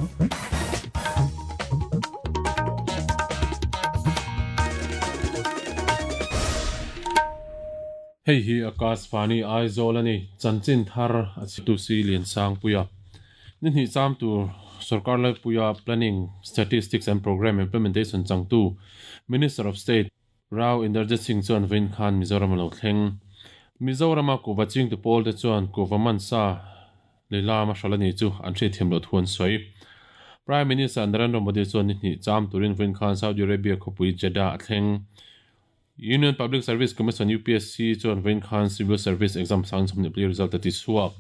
Hei hi Akashvani Aizawl a ni. Chanchin thar a chhitu si Liansangpuia. Ni hnih cham tur Sorkar Laipuia Planning, Statistics and Programme Implementation changtu Minister of State Rao Inderjit Singh chuan vawiin khan Mizoram a lo thleng. Mizorama kuhva chingtu pawlte chuan kuhva mansa lehlam a hral a ni chu an hriatthiam loh thu an sawi. Prime Minister Narendra Modi chuan ni hnih cham turin vawiin khan Saudi Arabia khawpui Jeddah a thleng. Union Public Service Commission, UPSC, chuan vawiin khan Civil Service Exam sang 24 result a ti chhuak.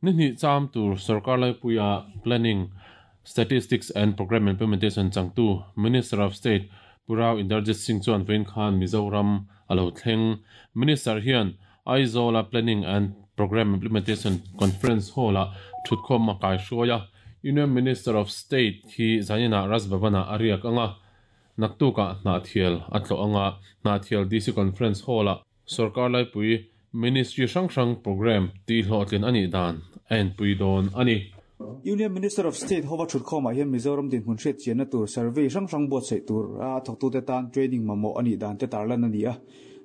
Ni hnih cham tur sorkar laipuia Planning, Statistics and Programme Implementation changtu Minister of State Pu Rao Inderjit Singh chuan vawiin khan Mizoram a lo thleng. Minister hian Aizawl-a Planning and Programme Implementation Conference Hall-ah thutkhawm a kaihruai a, Union Minister of State hi zaninah Raj Bhavan-ah a riak ang a, naktukah Hnahthial a tlawh ang a, Hnahthial DC Conference Hall-ah Sorkar laipui Ministry hrang hrang programme tihhlawhtlin a nih dan a enpui dawn a ni. Union Minister of State hova thutkhawmah hian Mizoram dinhmun hriatchianna tur survey hrang hrang buatsaih tur a thawktute tan training mamawh a nih dan te tarlan a ni a.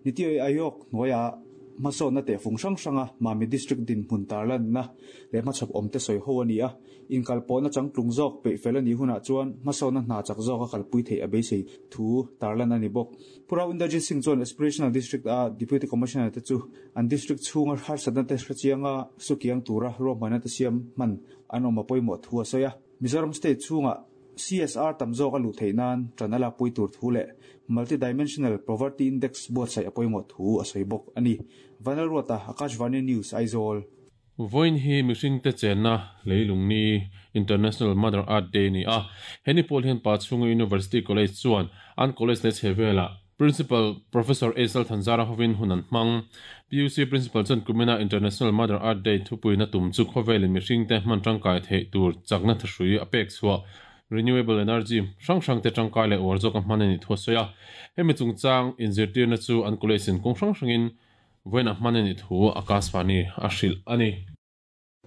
Niti Aayog hnuaiah hmasawnna tehfung hrang hranga Mami District dinhmun tarlanna leh hmachhawp awmte sawi ho a ni a. Inkalpawhna changtlung zawk peih fel a nih hunah chuan hmasawnna hna chak zawka kalpui theih a beisei thu tarlan a ni bawk. Pu Rao Inderjit Singh chuan Aspirational District a Deputy Commissioner te chu an district chhunga harsatna te hrechianga sukiang tura ruahmanna te siam hman an awm a pawimawh thu a sawi a. Mizoram state chhunga CSR tam zawk a luh theih nan ṭan a lakpui tur thu leh Multi-Dimensional Poverty Index buatsaih a pawimawh thu a sawi bawk a ni. Vanlalruata, Akashvani News, Aizawl. Vawiin hi mihringte chenna leilung ni, International Mother Earth Day, ni a. He ni pawl hian Pachhunga University College chuan an college leh chhe velah Principal Professor A Salthanzara hovin hun an hmang. PUC Principal chuan kumina International Mother Earth Day thupuina tum chu khawvelin mihringte hman tangkai theih tur chakna thahrui a pek chhuah, renewable energy, hrang hrangte tangkai leh uar zawka hman a nih thu a sawi a. Hemi chungchang inzirtirna chu an college in kawng hrang hrangin Vawiin a hman a nih thu Akashvani a hrilh a ni.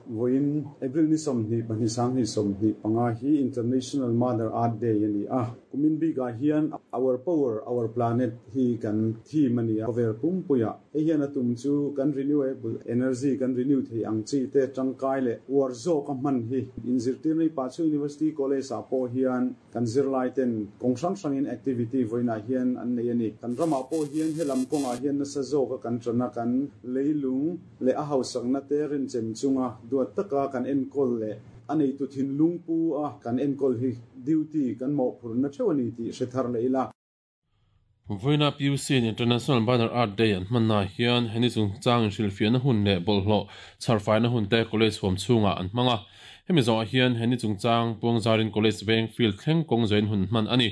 Vawiin April ni 22 2025 hi International Mother Earth Day a ni a. Kumin bikah hian Our Power, Our Planet hi kan theme a ni a, khawvel pumpuiah. Hei hian a tum chu kan renewable energy kan renew thei ang chi te tangkai leh uar zawk a hman hi. Inzirtirna hi Pachhu University College ah pawh hian Kan zirlai ten kawng hrang hrangin activity vawiinah hian an nei a ni. Kan ramah pawh hian helam kawngah hian nasa zawka kan tana kan leilung leh a hausakna te rinchem chunga duat taka kan enkawl leh a neitu thinlung pu a kan enkawl hi duty kan mawhphurhna theuh a ni tih hre thar leh ila. Vawiina PUC-in International Mother Earth Day an hmannaah hian heni chungchang inhrilhfiahna hun leh bawlhhlawh chharfaina hun te college huam chhungah an hmang a. Hemi zawhah hian heni chungchang puangzarin college veng field thleng kawng zawhin hun hman a ni.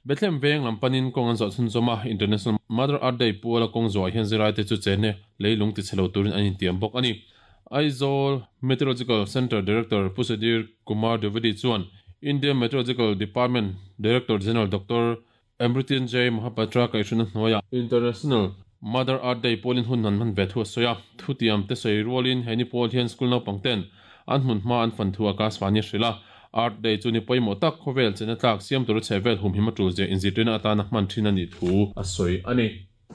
Bethlehem veng lam panin kawng an zawh chhunzawm a, International Mother Earth Day puala kawng zawhah hian zirlaite chu chenne leilung tichhe lo turin an intiam bawk a ni. Aizawl Meteorological Centre Director Pu Sudhir Kumar Dwivedi chuan Indian Meteorological Department Director General Doctor Mrityunjay Mohapatra kaihhruna hnuaiah International Mother Earth Day pawlin hun an hman ve thu a sawi a. Thutiam te sawi rualin he ni pawl hian school naupang ten an hmun hma an fan thu a Akashvani a hrilh a. Earth Day chu ni pawimawh tak khawvel chena tlak siam tura chhehvel humhim a tul zia inzirtirna atana hman thin a nih thu a sawi a ni.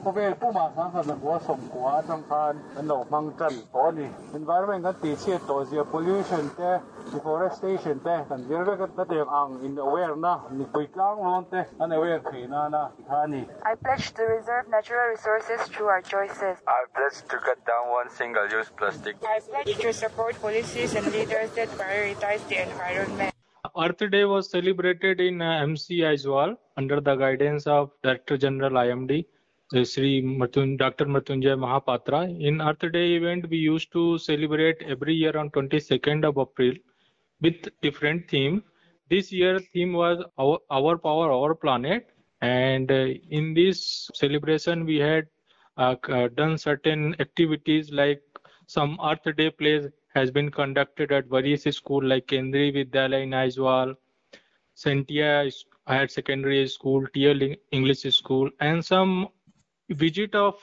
Khawvel pumah sangkhat lakua sawmkua atang khan kan lo hmang tan tawh a ni. Environment kan tihchhiat tawh zia pollution te, deforestation te kan zir vek a, hetiang ang in aware na mipui tlanglawn te an aware theih nana ti kha a ni. I pledge to reserve natural resources through our choices. I pledge to cut down one single use plastic. I pledge to support policies and leaders that prioritize the environment. Earth Day was celebrated in MC Aizawl under the guidance of Director General IMD, Sri Dr. Mrityunjay Mahapatra. In Earth Day event, we used to celebrate every year on 22nd of April with different theme. This year theme was our power, our planet. And in this celebration, we had done certain activities like some Earth Day plays has been conducted at various schools like Kendriya Vidyalaya in Aizawl, Sentia Higher Secondary School, TL English School, and some visit of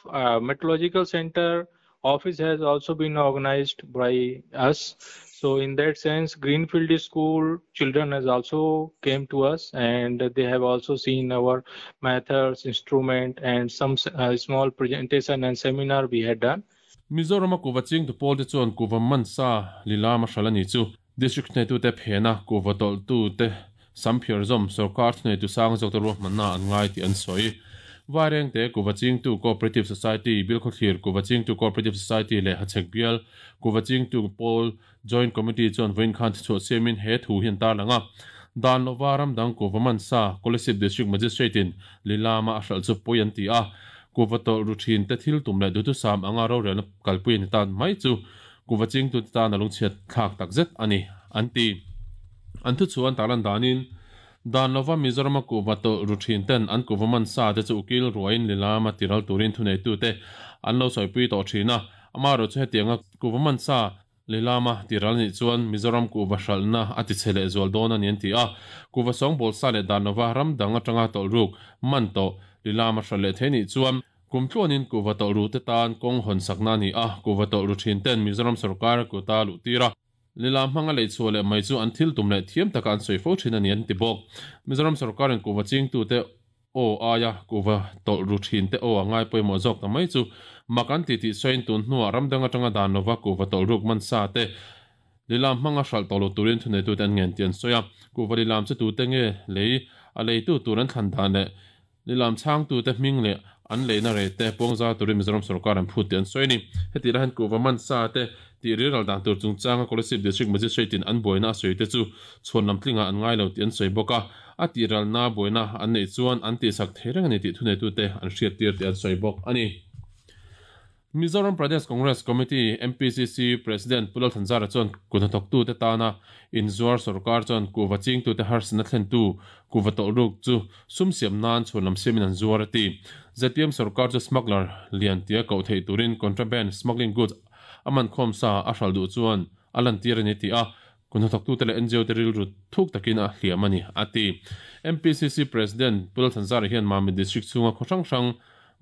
Meteorological Center office has also been organized by us. So in that sense, Greenfield School children has also came to us and they have also seen our methods, instrument and some small presentation and seminar we had done. Mizoram a kuhva chingtu pawl te chuan kuhva man sa lilama hral a ni chu. District hneitute phena kuhva tawlhtute Samphiar zawm sorkar thuneitu sang zawkte ruahmanna an ngai tih an sawi. Vairengte Kuhva Chingtu Cooperative Society, Bilkhawthlir Kuhva Chingtu Cooperative Society leh Hachhek Bial Kuhva Chingtu Pawl Joint Committee chuan vawiin khan thichhuah siamin he thu hi an tarlang a. Dan lova ram dang kuhva man sa Kolasib District Magistrate in Lilama a hralh chu pawi an ti a. Kuhva tawlh ru thin te thil tum leh duhthusam anga rorelna kalpui a ni tan mai chu Kuhva Chingtute tan a lungchhiat thlak takzet a ni, an ti. An thu chu an tarlan danin, dan lova Mizorama kuhva tawlh ru thin ten an kuhva man sa te chu ukil ruain lilama tiral turin thuneitute an lo sawipui tawh thin a. Amaherawhchu hetianga kuhva man sa lilama tiral nih chuan Mizoram kuhva hralhna a ti chhe leh zual dawn a ni an ti a. Kuhva sawngbawl sa leh dan lova ram dang atanga tawlh ruk man tawh lilama hralh leh thei nih chuan kum tluanin kuhva tawlh ru te tan kawng hawn sakna a ni a. Kuhva tawlh ru thin ten Mizoram sorkar kuta luh tir a. Lilam hmanga lei chhuah leh mai chu an thil tum leh thiam taka an sawi fo thin a ni an ti bawk. Mizoram sorkarin kuhva chingtute aw aia kuhva tawlh ru thin te aw a ngai pawimawh zawk ta mai chu mak an ti tih sawiin tun hnuah ram dang atanga dan lova kuhva tawlh ruk man sa te lilam hmanga hralh tawh lo turin thuneitute an ngen tih an sawi a. Kuhva lilam chu tute nge lei a leitu tur an thlan dan leh Lilam chhangtute hming leh an leina rei te pawngzar turin Mizoram sorkar an phut tih an sawi a ni. Hetih lai hian kuhva man sa te tih rilral dan tur chungchanga Kolasib District Magistrate in an buaina a sawi te chu chhuan lam tlingah an ngai lo tih an sawi bawk a, a tihralna buaina an neih chuan an tihsak thei reng a ni tih thuneitute an hriattir tih an sawi bawk a ni. Mizoram Pradesh Congress Committee, MPCC, President Pu Lalthanzara chuan kuthnathawktute tana inzuar sorkar chuan kuhva chingtute harsatna thlentu kuhva tawlhruk chu sum siam nan chhuan lam siamin an zuar a ti. Zpm sorkar chu smuggler lian tia koh theih turin contraband smuggling goods a man khawm sa a hral duh chuan a lantir a ni tih a kuthnathawktute leh ngo te rilru thuk takin a hliam a ni, a ti. MPCC President Pu Lalthanzara hian Mamit District chhunga khaw hrang hrang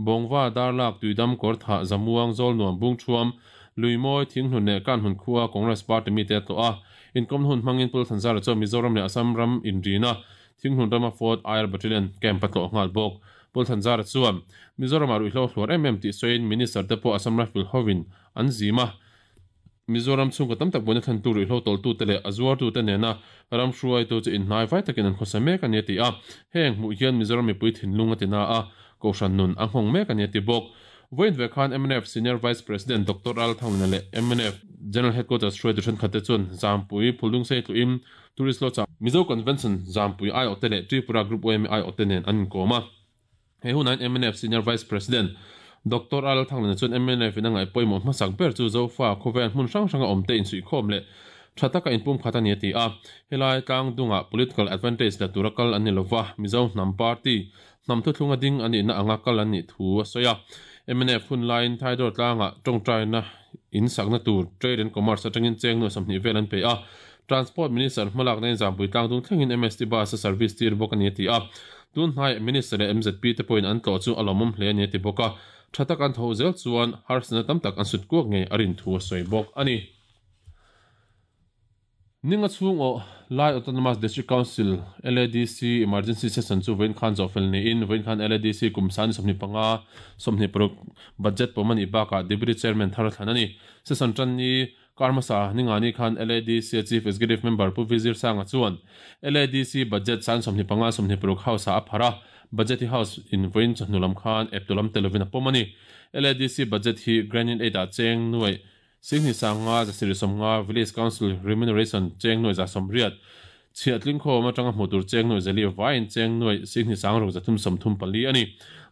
Bawngva, Darlak, Tuidam, Kawrthah, Zamuang, Zawlnuam, Bungthuam, Luimawi, Thinghlun leh Kanhmun khua Congress Party mite a tlawh a. Inkawmna hun hmangin Pu Lalthanzara chuan Mizoram leh Assam ram inrina Thinghlun rama Fourth Air Battalion camp a tlawh nghal bawk. Pu Lalthanzara chuan Mizoramah ruihhlo hluar em em tih sawiin Minister te pawh Assam Rifle hovin an zim a. Mizoram chhungkaw tam tak buaina thlentu ruihhlo tawlhtute leh a zuartute nena ram hruaitu chu inhnai vai takin an khawsa mek a ni a ti a. Heng hmuh hian Mizoram mipui thinlung a ti na a, Kohhran nun a nghawng mek a ni a ti bawk. Vawiin ve khan mnf Senior Vice President Doctor Ral Thanglina leh mnf General Headquarters hruaitu thenkhatte chuan Zampui Phuldungsei tluhin Tourist Lodge-ah Mizo Convention Zampui aiawhte leh Tripura Group yma aiawhte nen an inkawm a. He hunah hian mnf Senior Vice President Doctor A Lalthanglana chuan mnf in a ngaih pawimawh hmasak ber chu Zofa khawvel hmun hrang hranga awmte insuihkhawm leh tha taka inpumkhat a ni a ti a. Helai tlang dungah political advantage la tura kal an ni lova, Mizo hnam party hnam thuthlunga ding a nihna anga kal an nih thu a sawi a. Mnf hun laiin Thaidawr tlangah tawngtaina in sakna tur Trade and Commerce atangin cheng nuai 20 vel an pe a. Transport Minister hmalakna in Zampui tlangdung thlengin MST bus a service tir bawk a ni a ti a. Tun hnaiah Minister leh MZP te pawhin an tlawh chu a lawmawm hle a ni a ti bawk a. Tha tak an tho zel chuan harsatna tam tak an sut kuak ngei a rin thu a sawi bawk a ni. Ninga chhung aw Lai Autonomous District Council, LADC, Emergency Session chu vawiin khan zawhfel niin vawiin khan LADC kum sani 25, 26 budget pawm a nih bakah Deputy Chairman thar a thlan a ni. Session tan ni Kar hmasa Ningani khan LADC Chief Executive Member Pu Vizir Sanga chuan LADC budget san 25, 26 House-ah a pharh a, budget hi House in vawiin chawhnu lam khan eptu lam tel lovin a pawm a ni. LADC budget hi Grand in Aid-ah cheng nuaih 10,000 750, Village Council Remuneration cheng nuaih 180, Chhiah tlingkhawm atanga hmuh tur cheng nuaih zali vaiin cheng nuaih 10,600 334 a ni.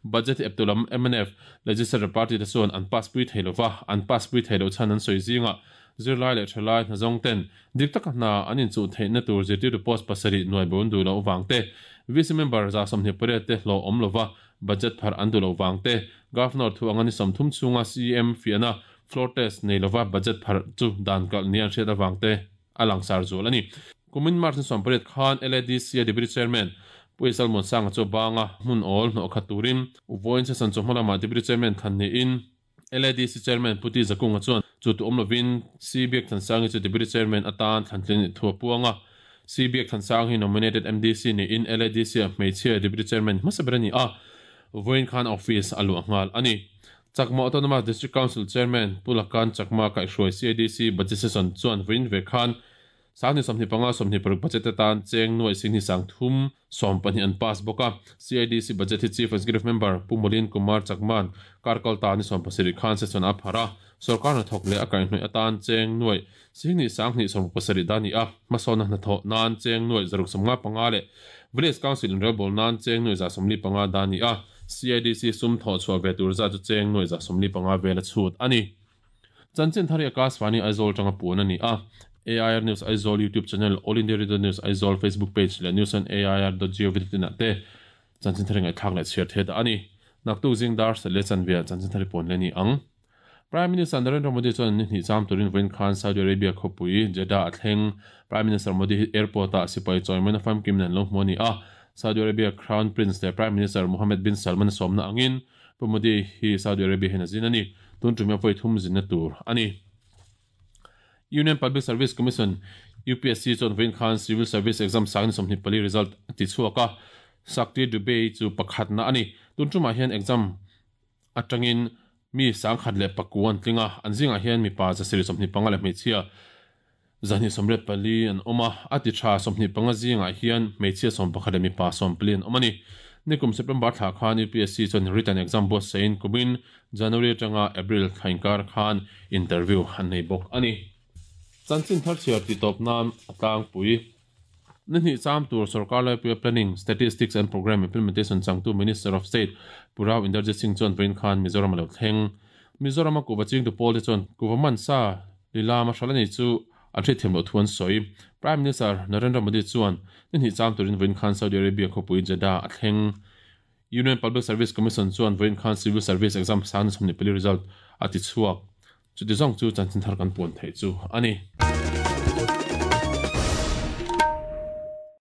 Budget hi eptu lam mnf Legislature Party te chuan an pass pui thei lova, an pass pui thei loh chhan an sawi zingah zirlai leh thalai hnazawng ten dik taka hna an inchuh theihna tur zirtirtu post pasarih nuai bo an duh loh vang te, VC member 28 te hlawh awm lova budget pharh an duh loh vang te, Governor thu anga ni 30 chhunga CEM fiahna floor test nei lova budget pharh chu dan kalh nia an hriat avang te. a langsar zual a ni. Kumin March ni 18 khan LADC a Deputy Chairman Pu Isal Muansanga chu a bang a, hmun awl hnawh khat turin Vawiin Session chawhma lamah Deputy Chairman thlan niin LADC Chairman Pu Ti Zakunga chuan. Chu tu awm lovin C Biakthansangi chu Deputy Chairman atan thlantlin a thu a puang a. C Biakthansang hi nominated MDC niin LADC-ah hmeichhia Deputy Chairman hmasa ber a ni a, vawiin khan office a luah nghal a ni. Chakma Autonomous District Council Chairman Pu Lakan Chakma kaihhruai CADC Budget Session chuan vawiin ve khan Sangni 25 26 budget atan cheng nuaih sing hi 30 12 an pass bawk a. CIDC budget hi Chief Executive Member Pu Molin Kumar Chakman kar kal ta ni 17 khan session a phar a. Sorkar hnathawk leh a kaihhnawih atan cheng nuaih sing hnih 2 17 dan ni a. Hmasawnna hnathawh nan cheng nuaih 155 leh Village Council inrelbawl nan cheng nuaih 145 dan ni a. CIDC sum thawh chhuah ve tur zat chu cheng nuaih 155 vel a chhut a ni. Chanchin thar hi Akashvani Aizawl atanga puan a ni a. AIR News Aizawl YouTube channel, All India Radio News Aizawl Facebook page leh news on air dot gov dot in ah te chanchin thar hi ngaihthlak leh chhiar theih dah a ni. Naktuk zing dar sat leh chanve ah chanchin thar hi puan leh a ni ang. Prime Minister Narendra Modi chuan ni hnih cham turin vawiin khan Saudi Arabia khawpui Jeddah a thleng. Prime Minister Modi hi airport ah sipai chawimawina famkim nen lo hmu a ni a. Saudi Arabia Crown Prince leh Prime Minister Mohammed bin Salman a sawmna angin Pu Modi hi Saudi Arabia hian a zin a ni. Tun tum hi a vawi thum zinna tur a ni. Union Public Service Commission, UPSC, chuan vawiin khan Civil Service Exam sang ni 24 result a ti chhuak a, Shakti Dubey chu pakhatna a ni. Tun tumah hian exam atangin mi 1009 an tling a, an zingah hian mipa 725 leh hmeichhia 284 an awm a, a ti tha 25 zingah hian hmeichhia 11 leh mipa 14 an awm a ni. Nikum September thla khan UPSC chuan written exam buatsaih in kumin January atanga April thla inkar khan interview an nei bawk a ni. Chanchin thar chhiar tih tawp nan a tlangpui. Ni hnih cham tur sorkar laipuia Planning, Statistics and Programme Implementation changtu Minister of State Pu Rao Inderjit Singh chuan vawiin khan Mizoram a lo thleng. Mizorama kuhva chingtu pawlte chuan kuhva mansa lilam a hral a ni chu an hriatthiam loh thu an sawi. Prime Minister Narendra Modi chuan ni hnih cham turin vawiin khan Saudi Arabia khawpui Jeddah a thleng. Union Public Service Commission chuan vawiin khan Civil Service Exam sang ni 24 result a ti chhuak. Chuti zawng chu chanchin thar kan puan theih chu a ni.